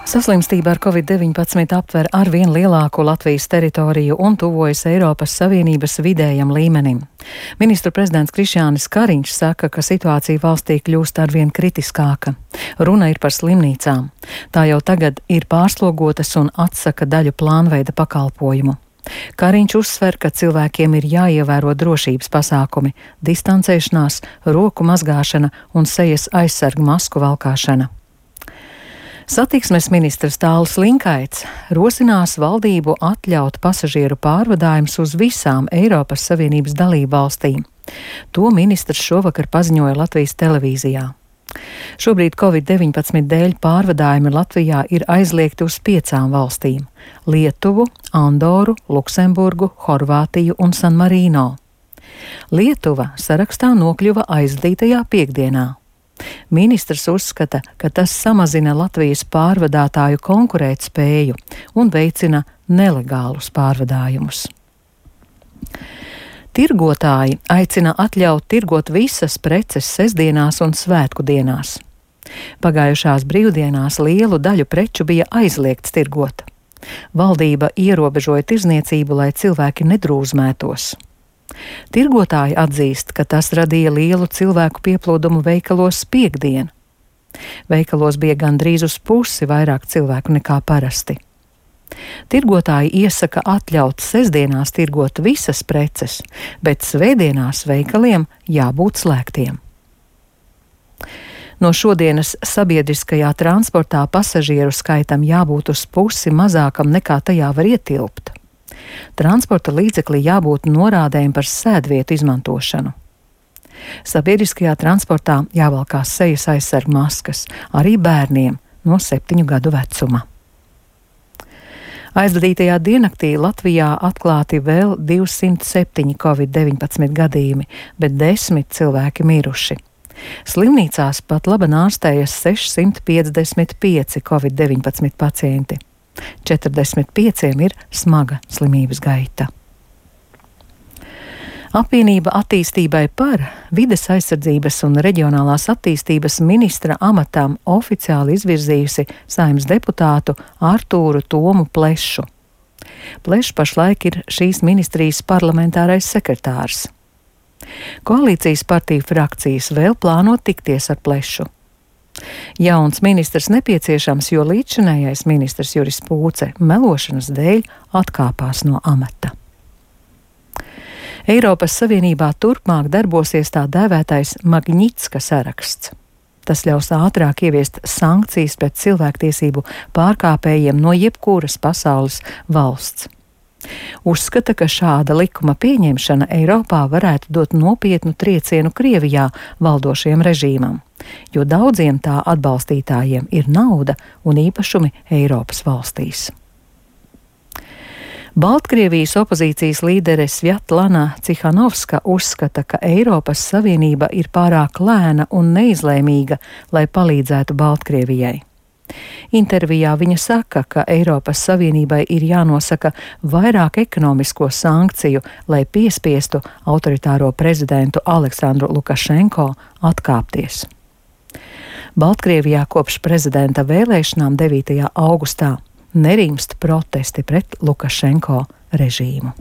Saslimstība ar Covid-19 aptver arvien lielāku Latvijas teritoriju un tuvojas Eiropas Savienības vidējam līmenim. Ministru prezidents Krišjānis Kariņš saka, ka situācija valstī kļūst arvien kritiskāka. Runa ir par slimnīcām. Tā jau tagad ir pārslogotas un atsaka daļu plānveida pakalpojumu. Kariņš uzsver, ka cilvēkiem ir jāievēro drošības pasākumi, distancēšanās, roku mazgāšana un sejas aizsargu masku valkāšana. Satiksmes ministrs Tālis Linkaits rosinās valdību atļaut pasažieru pārvadājumus uz visām Eiropas Savienības dalību valstīm. To ministrs šovakar paziņoja Latvijas televīzijā. Šobrīd Covid-19 dēļ pārvadājumi Latvijā ir aizliegti uz 5 valstīm - Lietuvu, Andoru, Luksemburgu, Horvātiju un San Marino. Lietuva sarakstā nokļuva aizdītajā piekdienā. Ministrs uzskata, ka tas samazina Latvijas pārvadātāju konkurētspēju un veicina nelegālus pārvadājumus. Tirgotāji aicina atļaut tirgot visas preces sestdienās un svētku dienās. Pagājušās brīvdienās lielu daļu preču bija aizliegts tirgot. Valdība ierobežoja tirzniecību, lai cilvēki nedrūzmētos. Tirgotāji atzīst, ka tas radīja lielu cilvēku pieplūdumu veikalos piektdien. Veikalos bija gandrīz uz pusi vairāk cilvēku nekā parasti. Tirgotāji iesaka atļaut sestdienās tirgot visas preces, bet svētdienās veikaliem jābūt slēgtiem. No šodienas sabiedriskajā transportā pasažieru skaitam jābūt uz pusi mazākam nekā tajā var ietilpt. Transporta līdzeklī jābūt norādēm par sēdvietu izmantošanu. Sabiedriskajā transportā jāvalkās sejas aizsargu maskas arī bērniem no 7 gadu vecuma. Aizvadītajā diennaktī Latvijā atklāti vēl 207 Covid-19 gadījumi, bet 10 cilvēki miruši. Slimnīcās pat labi ārstējas 655 Covid-19 pacienti. 45 ir smaga slimības gaita. Apvienība attīstībai par vides aizsardzības un reģionālās attīstības ministra amatam oficiāli izvirzījusi Saeimas deputātu Artūru Tomu Plešu. Plešs pašlaik ir šīs ministrijas parlamentārais sekretārs. Koalīcijas partiju frakcijas vēl plāno tikties ar Plešu. Jauns ministrs nepieciešams, jo līdzšinējais ministrs Juris Pūce melošanas dēļ atkāpās no amata. Eiropas Savienībā turpmāk darbosies tā dēvētais Magnitska saraksts. Tas ļaus ātrāk ieviest sankcijas pret cilvēktiesību pārkāpējiem no jebkuras pasaules valsts. Uzskata, ka šāda likuma pieņemšana Eiropā varētu dot nopietnu triecienu Krievijā valdošajam režīmam, jo daudziem tā atbalstītājiem ir nauda un īpašumi Eiropas valstīs. Baltkrievijas opozīcijas līdere Svjatlana Cihanovska uzskata, ka Eiropas Savienība ir pārāk lēna un neizlēmīga, lai palīdzētu Baltkrievijai. Intervijā viņa saka, ka Eiropas Savienībai ir jānosaka vairāk ekonomisko sankciju, lai piespiestu autoritāro prezidentu Aleksandru Lukašenko atkāpties. Baltkrievijā kopš prezidenta vēlēšanām 9. augustā nerimst protesti pret Lukašenko režīmu.